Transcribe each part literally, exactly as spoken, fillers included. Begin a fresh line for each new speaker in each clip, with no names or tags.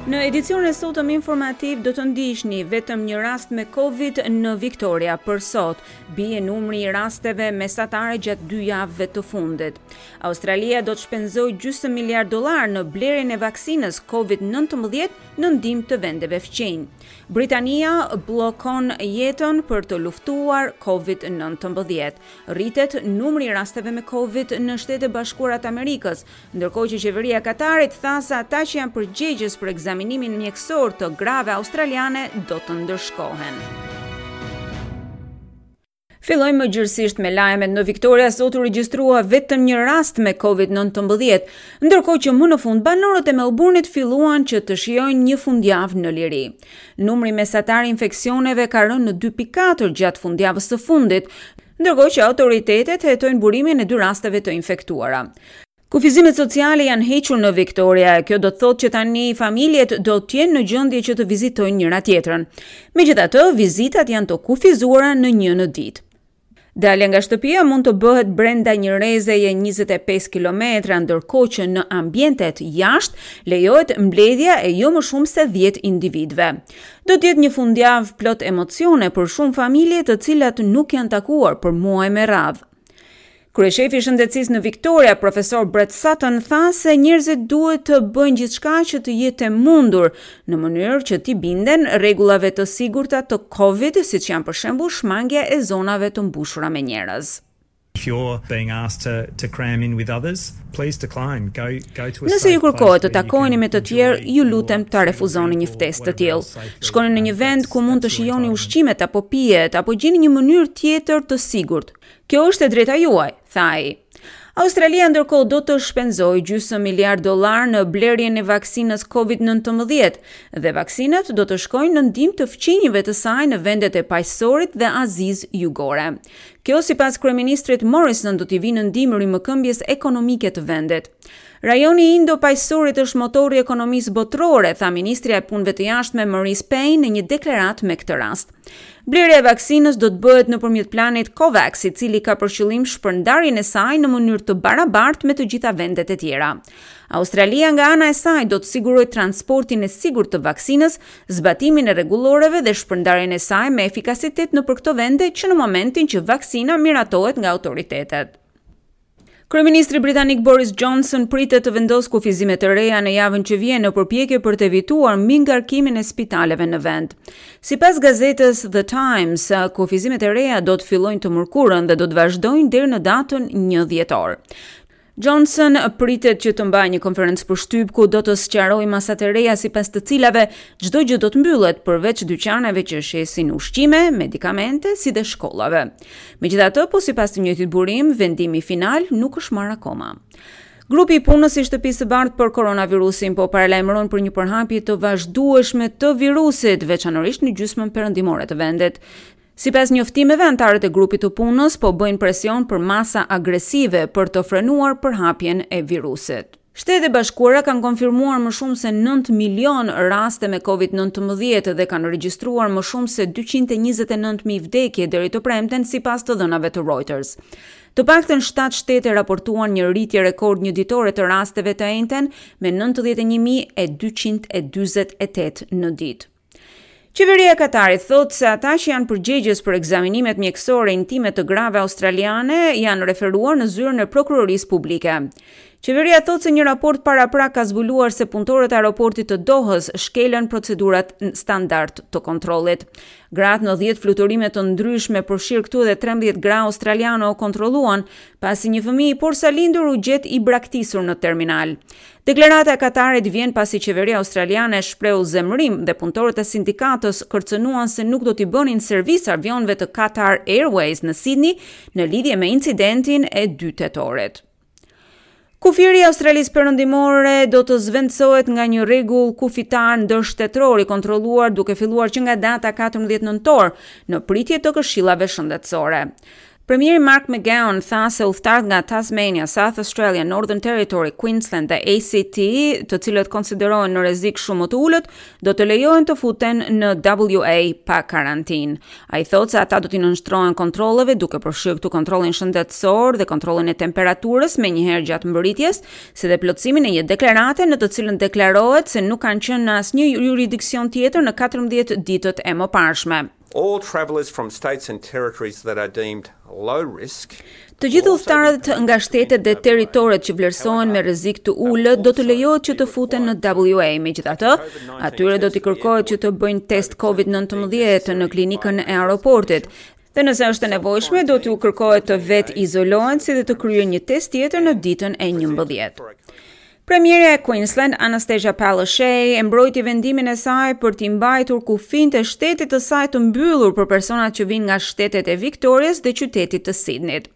Në edicionin e sotëm informativ do të ndiqni vetëm një rast me Covid në Victoria për sot. Bie numri i rasteve mesatare gjatë dy javëve të fundit. Australia do të shpenzojë gjysmë miliard dollar në blerjen e vaksinës Covid nëntëmbëdhjetë në ndihmë të vendeve fqinj. Britania bllokon jetën për të luftuar Covid nëntëmbëdhjetë. Rritet numri i rasteve me Covid në Shtetet e Bashkuara të Amerikës, ndërkohë që qeveria e Katarit tha se ata që janë përgjegjës për ekzaminimin mjekësor të grave australiane do të ndëshkohen. Fillojmë më gjërësisht me lajmet. Në Victoria sot u regjistrua vetëm një rast me Covid nëntëmbëdhjetë, ndërkohë që më në fund banorët e Melbourne-it filluan që të shijojnë një fundjavë në liri. Numri mesatar i infeksioneve ka rënë në dy pikë katër gjatë fundjavës së fundit, ndërkohë që autoritetet hetojnë burimin e dy rasteve të infektuara. Kufizimet sociale janë hequr në Victoria, e kjo do të thotë që tani familjet do të jenë në gjendje që të vizitojnë njëra tjetrën. Megjithatë, vizitat janë të kufizuara në një në ditë. Dalja nga shtëpia mund të bëhet brenda një rrezeje njëzet e pesë kilometra, ndërkohë që në ambientet jashtë lejohet mbledhja e jo më shumë se dhjetë individëve. Do të jetë një fundjavë plot emocione për shumë familje, të cilat nuk janë takuar për muaj me radhë. Kryeshefi i shëndetësisë në Victoria, profesor Brett Sutton, tha se njerëzit duhet të bëjnë gjithçka që të jetë e mundur në mënyrë që t'i binden rregullave të sigurta të Covid, siç janë, për shembull, shmangia e zonave të mbushura me njerëz.
If you're being asked to to cram in with others, please decline. Go go to a
Nëse ju kërkohet të takoheni me të tjerë, ju lutem ta refuzoni një ftesë të tillë. Shkoni në një vend ku mund të shijoni ushqimet apo pijet apo gjeni një mënyrë tjetër të sigurt. Kjo është e drejta juaj, tha ai. Australia ndërkohë do të shpenzojë gjysmë miliard dollar në blerjen e vaksinës Covid nëntëmbëdhjetë dhe vaksinat do të shkojnë në ndihmë të fqinjëve të saj në vendet e Paqësorit dhe Azisë Jugore. Kjo, sipas kryeministrit Morrison, do t'i vinë në ndihmë rimëkëmbjes ekonomike të vendit. "Rajoni i Indo-Paqësorit është motori i ekonomisë botërore", tha ministrja e Punëve të Jashtme Marise Payne në një deklaratë me këtë rast. Blerja e vaksinës do të bëhet nëpërmjet planit COVAX, i cili ka për qëllim shpërndarjen e saj në mënyrë të barabartë me të gjitha vendet e tjera. Australia nga ana e saj do të sigurojë transportin e sigurt të vaksinës, zbatimin e rregulloreve dhe shpërndarjen e saj me efikasitet nëpër këto vende që në momentin që vaksina miratohet nga autoritetet. Kryeministri britanik Boris Johnson pritet të vendosë kufizime të reja në javën që vjen, në përpjekje për të evituar mbingarkimin e spitaleve në vend. Sipas gazetës The Times, kufizimet e reja do të fillojnë të mërkurën dhe do të vazhdojnë deri në datën një dhjetor. Johnson pritet që të mbajë një konferencë për shtyp ku do të sqarojë masat e reja, sipas të cilave çdo gjë do të mbyllet përveç dyqaneve që shesin ushqime, medikamente, si dhe shkollave. Megjithatë, po sipas të njëjtit burim, vendimi final nuk është marrë akoma. Grupi i punës i Shtëpisë së Bardhë për koronavirusin po paralajmëron për një përhapje të vazhdueshme të virusit, veçanërisht në gjysmën perëndimore të vendit. Sipas njoftimeve, anëtarët e grupit të punës po bëjnë presion për masa agresive për të frenuar përhapjen e virusit. Shtetet e Bashkuara kanë konfirmuar më shumë se nëntë milion raste me Covid nëntëmbëdhjetë dhe kanë regjistruar më shumë se dyqind e njëzet e nëntë mijë vdekje deri të premten, sipas të dhënave të Reuters. Të paktën shtatë shtete raportuan një rritje rekord një ditore të rasteve të enjten, me nëntëdhjetë e një mijë e dyqind e dyzet e tetë në ditë. Qeveria e Katarit thotë se ata që janë përgjegjës për ekzaminimet mjekësore intime të grave australiane janë referuar në zyrën e prokurorisë publike. Qeveria thotë se një raport paraprak ka zbuluar se punëtorët e aeroportit të Dohës shkelën procedurat standard të kontrollit. Gratë në dhjetë fluturime të ndryshme, përfshirë këtu edhe trembëdhjetë gra australiane, u kontrolluan pasi një fëmijë i porsalindur u gjet i braktisur në terminal. Deklarata e Katarit vjen pasi qeveria australiane shprehu zemërim dhe punëtorët e sindikatës kërcënuan se nuk do t'i bënin servis avionëve të Qatar Airways në Sydney në lidhje me incidentin e dy tetorit. Kufiri i Australisë Perëndimore do të zvendësohet nga një rregull kufitar ndërshtetëror i kontrolluar, duke filluar që nga data katërmbëdhjetë nëntor, në pritje të këshillave shëndetësore. Premieri Mark McGowan tha se udhëtarët nga Tasmania, South Australia, Northern Territory, Queensland dhe A C T, të cilët konsiderohen në rrezik shumë më të ulët, do të lejohen të futen në W A pa karantinë. Ai thotë se ata do t'i nënshtrohen kontrolleve, duke përfshirë këtu kontrollin shëndetësor dhe kontrollin e temperaturës me njëherë gjatë mbërritjes, si dhe plotësimin e një deklarate në të cilën deklarohet se nuk kanë qenë në asnjë juridiksion tjetër në katërmbëdhjetë ditët e mëparshme.
All travellers from states and territories that are deemed low risk
Të gjithë udhëtarët nga shtetet dhe territoret që vlerësohen me rrezik të ulët do të lejohet që të futen në W A. Megjithatë, atyre do t'i kërkohet që të bëjnë test COVID nëntëmbëdhjetë në klinikën e aeroportit. Dhe nëse është e nevojshme, do t'u kërkohet të vetë izolohen, si dhe të kryejnë një test tjetër në ditën e njëmbëdhjetë. Premierja e Queensland, Anastasia Palaszczuk, e mbrojti vendimin e saj për t'i mbajtur kufinjtë e shtetit të saj të mbyllur për personat që vinë nga shtetet e Victorias dhe qytetit të Sydneyt.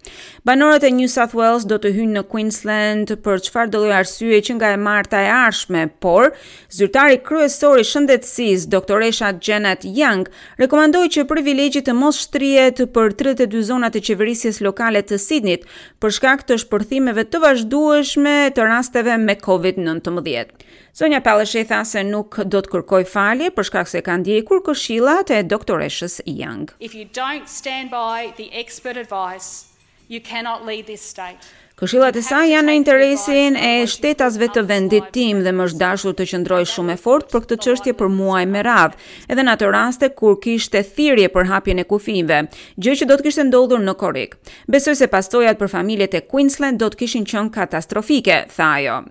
Banorët e New South Wales do të hyjnë në Queensland për çfarë do lloj arsye që nga e marta e ardhshme, por zyrtari kryesor i shëndetësisë, doktoresha Janet Young, rekomandoi që privilegji të mos shtrihet për tridhjetë e dy zonat e qeverisjes lokale të Sydneyt për shkak të shpërthimeve të vazhdueshme të rasteve me COVID nëntëmbëdhjetë. Zonja Palaszczuk tha se nuk do të kërkojë falje për shkak se ka ndjekur këshillat e doktoreshës Young.
If you don't stand by the expert advice, you cannot lead this state.
Këshillat e saj janë në interesin e shtetasve të vendit tim dhe më është dashur të qëndroj shumë e fortë për këtë çështje për muaj me radhë, edhe në ato raste kur kishte thirrje për hapjen e kufijve, gjë që do të kishte ndodhur në korrik. Besoj se pasojat për familjet e Queensland do të kishin qenë katastrofike, tha ajo.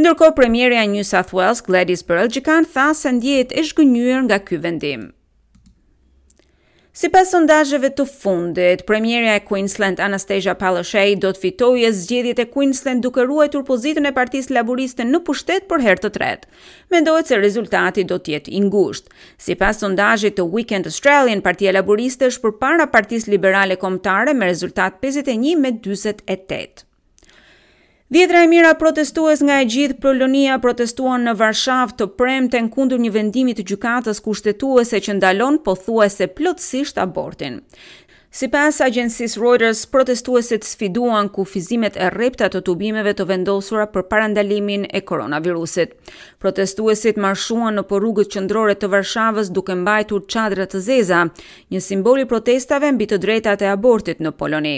Ndërkohë, premierja e New South Wales, Gladys Berejiklian, tha se ndjehet e zhgënjyer nga ky vendim. Sipas sondazheve të fundit, premierja e Queensland, Anastasia Palaszczuk, do të fitojë zgjedhjet e Queensland, duke ruajtur pozitën e Partisë Laboriste në pushtet për herë të tretë. Mendohet se rezultati do të jetë i ngushtë. Sipas sondazhit të Weekend Australian, Partia Laboriste është përpara Partisë Liberale Kombëtare me rezultat pesëdhjetë e një me dyzet e tetë. Dhjetra e mijëra protestues nga e gjithë Polonia protestuan në Varshavë të premten kundër një vendimi të gjykatës kushtetuese që ndalon pothuajse plotësisht abortin. Sipas agjencisë Reuters, protestuesit sfiduan kufizimet e rrepta të tubimeve të vendosura për parandalimin e koronavirusit. Protestuesit marshuan në rrugët qendrore të Varshavës duke mbajtur çadra të zeza, një simbol i protestave mbi të drejtat e abortit në Poloni.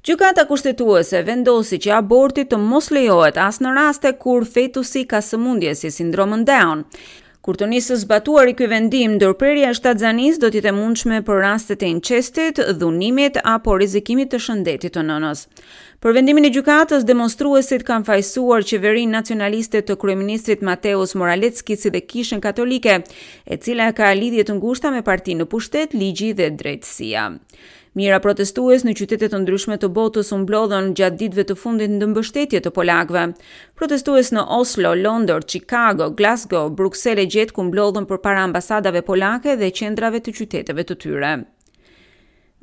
Gjykata kushtetuese vendosi që aborti të mos lejohet as në raste kur fetusi ka sëmundje si sindromën Down. Kur të nisë zbatuari ky vendim, ndërprerja e shtatzanisë do të jetë e mundshme për rastet e incestit, dhunimit apo rrezikimit të shëndetit të nënës. Për vendimin e gjykatës, demonstruesit kanë fajësuar qeverinë nacionaliste të kryeministrit Mateusz Morawiecki, si dhe Kishën Katolike, e cila ka lidhje të ngushta me partinë në pushtet, Ligji dhe Drejtësia. Mijëra protestues në qytete të ndryshme të botës u mblodhën gjatë ditëve të fundit në mbështetje të polakëve. Protestues në Oslo, Londër, Chicago, Glasgow, Bruksel e gjetkë u mblodhën përpara ambasadave polake dhe qendrave të qyteteve të tyre.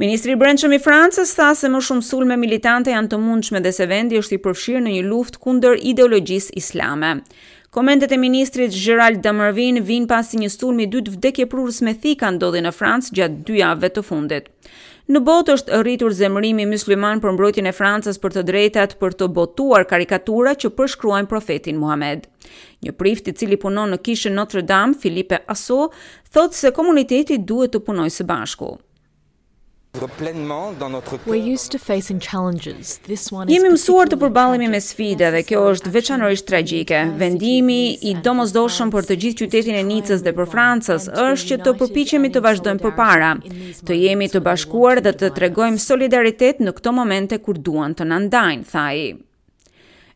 Ministri i Brendshëm i Francës tha se më shumë sulme militante janë të mundshme dhe se vendi është i përfshirë në një luftë kundër ideologjisë islame. Komentet e ministrit Gerald Darmanin vijnë pasi një sulm i dytë vdekjeprurës me thika ndodhi në Francë gjatë dy javëve të fundit. Në botë është rritur zemërimi musliman për mbrojtjen e Francës për të drejtat për të botuar karikatura që përshkruajnë profetin Muhammed. Një prift i cili punon në kishën Notre Dame, Philippe Asso, thotë se komuniteti duhet të punojë së bashku.
We're used to facing challenges. This one is
Jemi mësuar të përballemi me sfida dhe kjo është veçanërisht tragjike. Vendimi i domosdoshëm për të gjithë qytetin e Nicës dhe për Francës është që të përpiqemi të vazhdojmë përpara, të jemi të bashkuar dhe të tregojmë solidaritet në këto momente kur duan të na ndajnë, tha ai.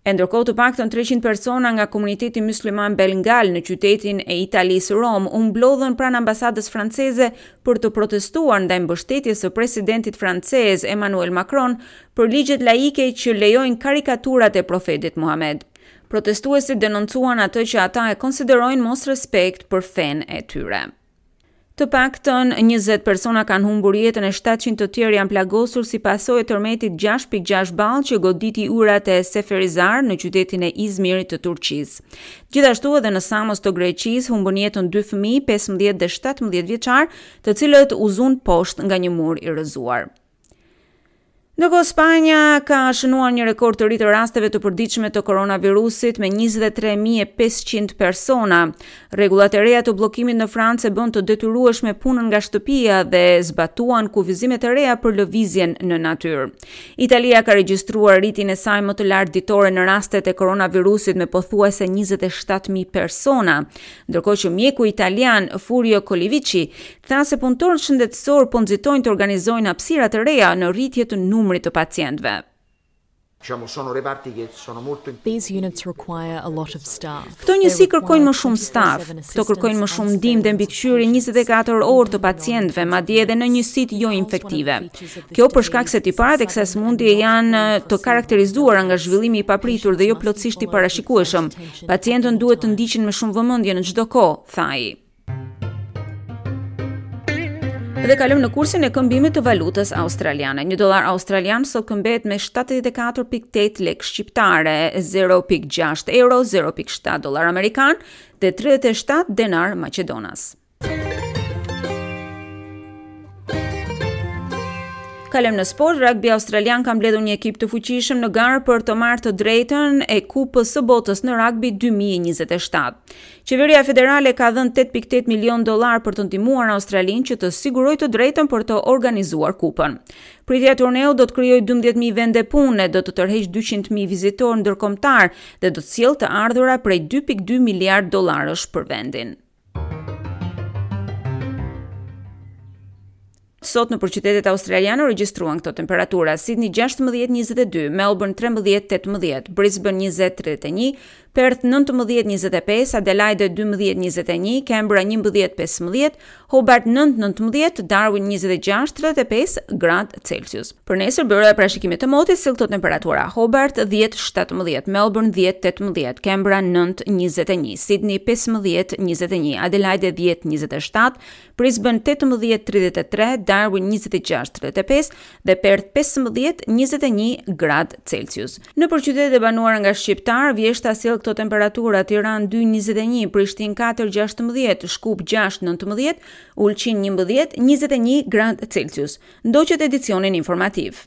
E ndërkohë, të paktën treqind persona nga komuniteti musliman Bengal në qytetin e Italisë, Rom, u mblodhën pranë ambasadës franceze për të protestuar ndaj mbështetjes së presidentit francez Emmanuel Macron për ligjet laike që lejojnë karikaturat e profetit Muhammed. Protestuesit denoncuan atë që ata e konsiderojnë mos respekt për fenë e tyre. Të paktën njëzet persona kanë humbur jetën e shtatëqind të tjerë janë plagosur si pasojë e tërmetit gjashtë pikë gjashtë ball që goditi urat e Seferihisar në qytetin e Izmirit të Turqisë. Gjithashtu, edhe në Samos të Greqisë humbën jetën dy fëmijë, pesëmbëdhjetë dhe shtatëmbëdhjetë vjeçar, të cilët u zunë poshtë nga një mur i rrëzuar. Ndërkohë, Spanja ka shënuar një rekord të ri të rasteve të përditshme të koronavirusit me njëzet e tre mijë e pesëqind persona. Rregullat e reja të bllokimit në Francë e bën të detyrueshme punën nga shtëpia dhe zbatuan kufizimet e reja për lëvizjen në natyrë. Italia ka regjistruar rritjen e saj më të lartë ditore në rastet e koronavirusit me pothuajse njëzet e shtatë mijë persona, ndërkohë që mjeku italian Furio Colivicchi tha se punëtorët shëndetësor po nxitojnë të organizojnë hapësira të reja në rritje të numrit të pacientëve.
Diciamo, sono reparti che sono molto
These units require a lot of staff.
Këto njësi kërkojnë më shumë staf, këto kërkojnë më shumë ndihmë dhe mbikëqyrje njëzet e katër orë të pacientëve, madje edhe në njësitë jo infektive. Kjo për shkak se tiparet e kësaj sëmundje janë të karakterizuara nga zhvillimi i papritur dhe jo plotësisht i parashikueshëm. Pacientët duhet të ndiqen me shumë vëmendje në çdo kohë, tha ai. Dhe kalojmë në kursin e këmbimit të valutës australiane. Një dollar australian sot këmbehet me shtatëdhjetë e katër pikë tetë lekë shqiptare, zero pikë gjashtë euro, zero pikë shtatë dollar amerikan dhe tridhjetë e shtatë denar maqedonas. Kalojmë në sport. Rugby australian ka mbledhur një ekip të fuqishëm në garë për të marrë të drejtën e Kupës së Botës në rugby dy mijë e njëzet e shtatë. Qeveria federale ka dhënë tetë pikë tetë milion dollar për të ndihmuar Australinë që të sigurojë të drejtën për të organizuar kupën. Pritja e turneut do të krijojë dymbëdhjetë mijë vende pune, do të tërheqë dyqind mijë vizitorë ndërkombëtar dhe do të sjellë të ardhura prej dy pikë dy miliard dollarësh për vendin. Sot në qytetet australiane u regjistruan këto temperatura: Sydney gjashtëmbëdhjetë njëzet e dy, Melbourne trembëdhjetë tetëmbëdhjetë, Brisbane njëzet tridhjetë e një, Perth nëntëmbëdhjetë njëzet e pesë, Adelaide dymbëdhjetë njëzet e një, Canberra njëmbëdhjetë pesëmbëdhjetë, Hobart nëntë nëntëmbëdhjetë, Darwin njëzet e gjashtë tridhjetë e pesë gradë Celsius. Për nesër, byroja e parashikimit të motit sjell këto temperatura: Hobart dhjetë shtatëmbëdhjetë, Melbourne dhjetë tetëmbëdhjetë, Canberra nëntë njëzet e një, Sydney pesëmbëdhjetë njëzet e një, Adelaide dhjetë njëzet e shtatë, Brisbane tetëmbëdhjetë tridhjetë e tre, Darwin njëzet e gjashtë tridhjetë e pesë dhe Perth pesëmbëdhjetë njëzet e një gradë Celsius. Në për qytetet e banuara nga shqiptar, vjeshta sjell këto temperatura: Tiranë dy njëzet e një, Prishtinë katër gjashtëmbëdhjetë, Shkup gjashtë nëntëmbëdhjetë, Ulqin njëmbëdhjetë njëzet e një gradë Celsius. Ndoqët edicionin informativ.